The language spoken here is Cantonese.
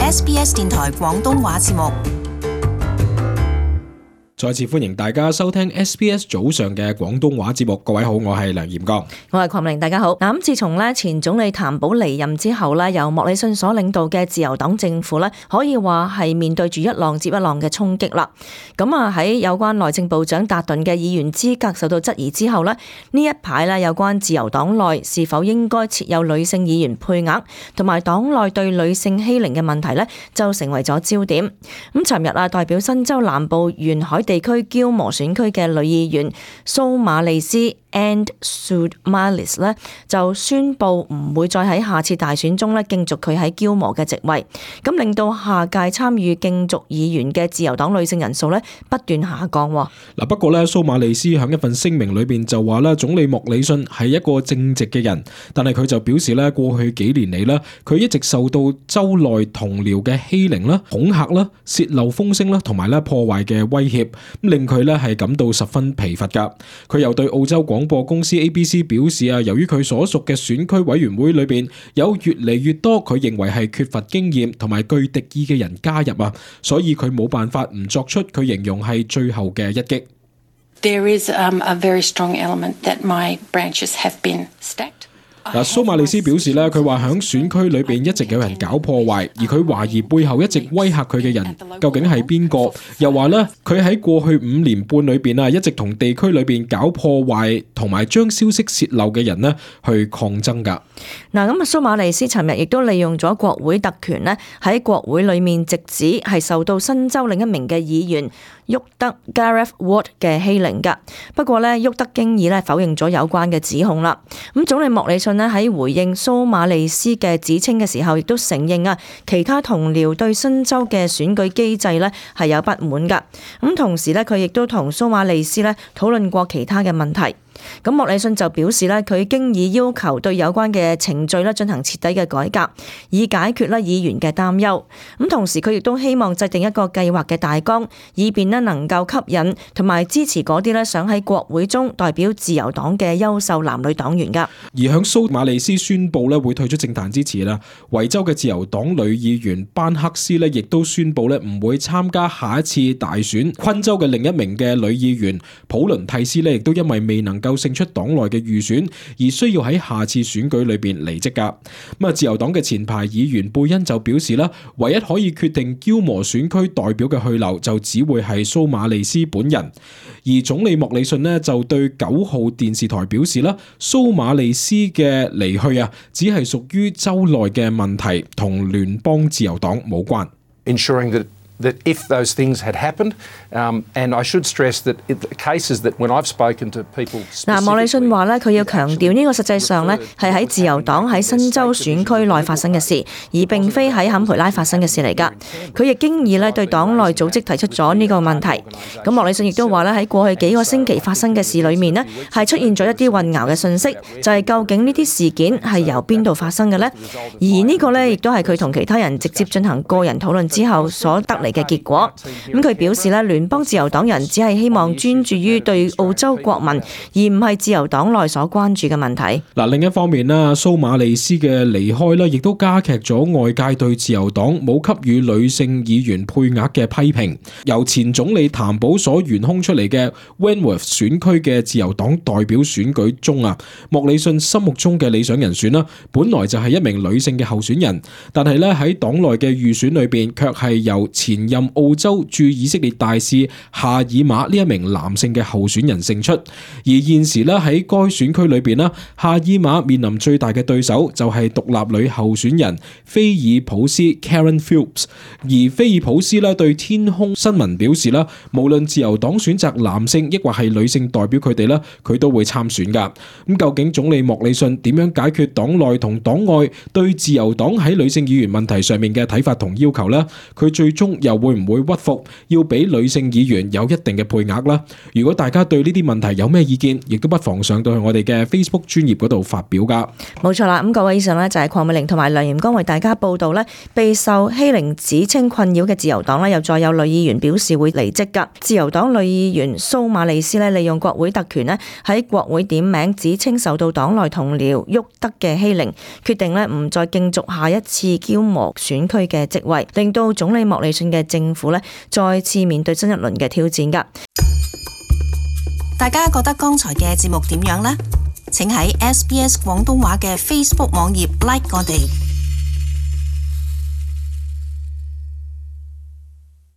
SBS 電台廣東話節目。再次歡迎大家收聽 SBS 早上嘅廣東話節目。各位好，我係梁炎剛，我係鄺明，大家好。咁自從前總理譚寶離任之後咧，由莫里遜所領導嘅自由黨政府咧，可以話係面對住一浪接一浪嘅衝擊啦。咁喺有關內政部長達頓嘅議員資格受到質疑之後咧，呢一排咧有關自由黨內是否應該設有女性議員配額，同埋黨內對女性欺凌嘅問題咧，就成為咗焦點。咁尋日代表新州南部沿海地區嬌磨選區嘅女議員蘇馬利斯 And Sudmalis 咧就宣布唔會再喺下次大選中咧競逐佢喺嬌磨嘅席位，咁令到下屆參與競逐議員嘅自由黨女性人數咧不斷下降。不過咧蘇馬利斯喺一份聲明裏邊就話咧，總理莫里遜係一個正直嘅人，但係佢就表示咧過去幾年嚟咧，佢一直受到州內同僚嘅欺凌啦、恐嚇啦、洩漏風聲啦，同埋咧破壞嘅威脅，令佢咧係感到十分疲乏噶。佢又對澳洲廣播公司 ABC 表示由於佢所屬嘅選區委員會裏邊有越嚟越多佢認為係缺乏經驗同埋具敵意嘅人加入所以佢冇辦法唔作出佢形容係最後嘅一擊。There is a very strong element that my branches have been stacked.蘇馬利斯表示咧，佢話喺選區裏邊一直有人搞破壞，而佢懷疑背後一直威嚇佢嘅人究竟係邊個？又話咧，佢喺過去5年半裏邊一直同地區裏邊搞破壞同埋將消息洩漏嘅人去抗爭噶。咁蘇馬利斯尋日亦都利用咗國會特權咧，喺國會裏面直指係受到新州另一名嘅議員沃德 Gareth Ward 嘅欺凌噶。不過咧，沃德經已否認咗有關嘅指控啦。咁總理莫里遜喺回應蘇馬利斯嘅指稱嘅時候，亦都承認其他同僚對新州嘅選舉機制係有不滿噶。咁同時佢亦都同蘇馬利斯討論過其他嘅問題。咁莫里遜就表示佢經已要求對有關嘅程序進行徹底嘅改革，以解決議員嘅擔憂。咁同時佢亦都希望制定一個計劃嘅大綱，以便能夠吸引同埋支持嗰啲想喺國會中代表自由黨嘅優秀男女黨員噶。而響蘇馬利斯宣布會退出政壇之前維州嘅自由黨女議員班克斯亦都宣布唔會參加下一次大選。昆州嘅另一名嘅女議員普倫蒂斯亦都因為未能夠勝出黨內嘅預選，而需要喺下次選舉裏邊離職噶。自由黨嘅前排議員貝恩就表示唯一可以決定嬌磨選區代表嘅去留，就只會係蘇馬利斯本人。而總理莫里遜就對9號電視台表示蘇馬利斯嘅離去只係屬於州內嘅問題，同聯邦自由黨冇關。Ensuring that if those things had happened, and I should stress that in the cases that when I've spoken to people， 莫里遜話佢要強調呢個實際上係喺自由黨喺新州選區內發生嘅事，而並非喺坎培拉發生嘅事嚟㗎。佢亦經已對黨內組織提出咗呢個問題。咁莫里遜亦都話喺過去幾個星期發生嘅事裏面係出現咗一啲混淆嘅信息，就係究竟呢啲事件係由邊度發生嘅呢？而呢個亦都係佢同其他人直接進行個人討論之後所得嚟嘅結果。咁佢表示聯邦自由黨人只係希望專注於對澳洲國民，而唔係自由黨內所關注嘅問題。另一方面蘇馬利斯嘅離開亦都加劇咗外界對自由黨冇給予女性議員配額嘅批評。由前總理譚寶所懸空出嚟嘅 Wentworth 選區嘅自由黨代表選舉中莫里遜心目中嘅理想人選本來就係一名女性嘅候選人，但係喺黨內嘅預選裏邊卻係由前任澳洲駐以色列大使夏爾馬呢一名男性嘅候選人勝出。而現時喺該選區裏邊夏爾馬面臨最大嘅對手就係獨立女候選人菲爾普斯 Karen Phillips。而菲爾普斯對天空新聞表示無論自由黨選擇男性抑或係女性代表佢哋佢都會參選噶。咁究竟總理莫里遜點樣解決黨內同黨外對自由黨喺女性議員問題上面嘅睇法同要求呢？佢最終又會唔會屈服，要俾女性議員有一定嘅配額啦？如果大家對呢啲問題有咩意見，亦都不妨上到去我哋嘅 Facebook 專頁嗰度發表噶。冇錯啦，咁各位以上呢，就係鄺美玲同埋梁炎光為大家報道呢，備受欺凌指稱困擾嘅自由黨呢，又再有女議員表示會離職噶。自由黨女議員蘇馬利斯呢，利用國會特權呢，喺國會點名指稱受到黨內同僚沃德嘅欺凌，決定呢唔再競逐下一次嬌磨選區嘅職位，令到總理莫里遜嘅政府呢，再次面對新一輪嘅挑戰噶。大家覺得剛才嘅節目點樣呢？請喺SBS 廣東話嘅 Facebook 網頁 like 我哋。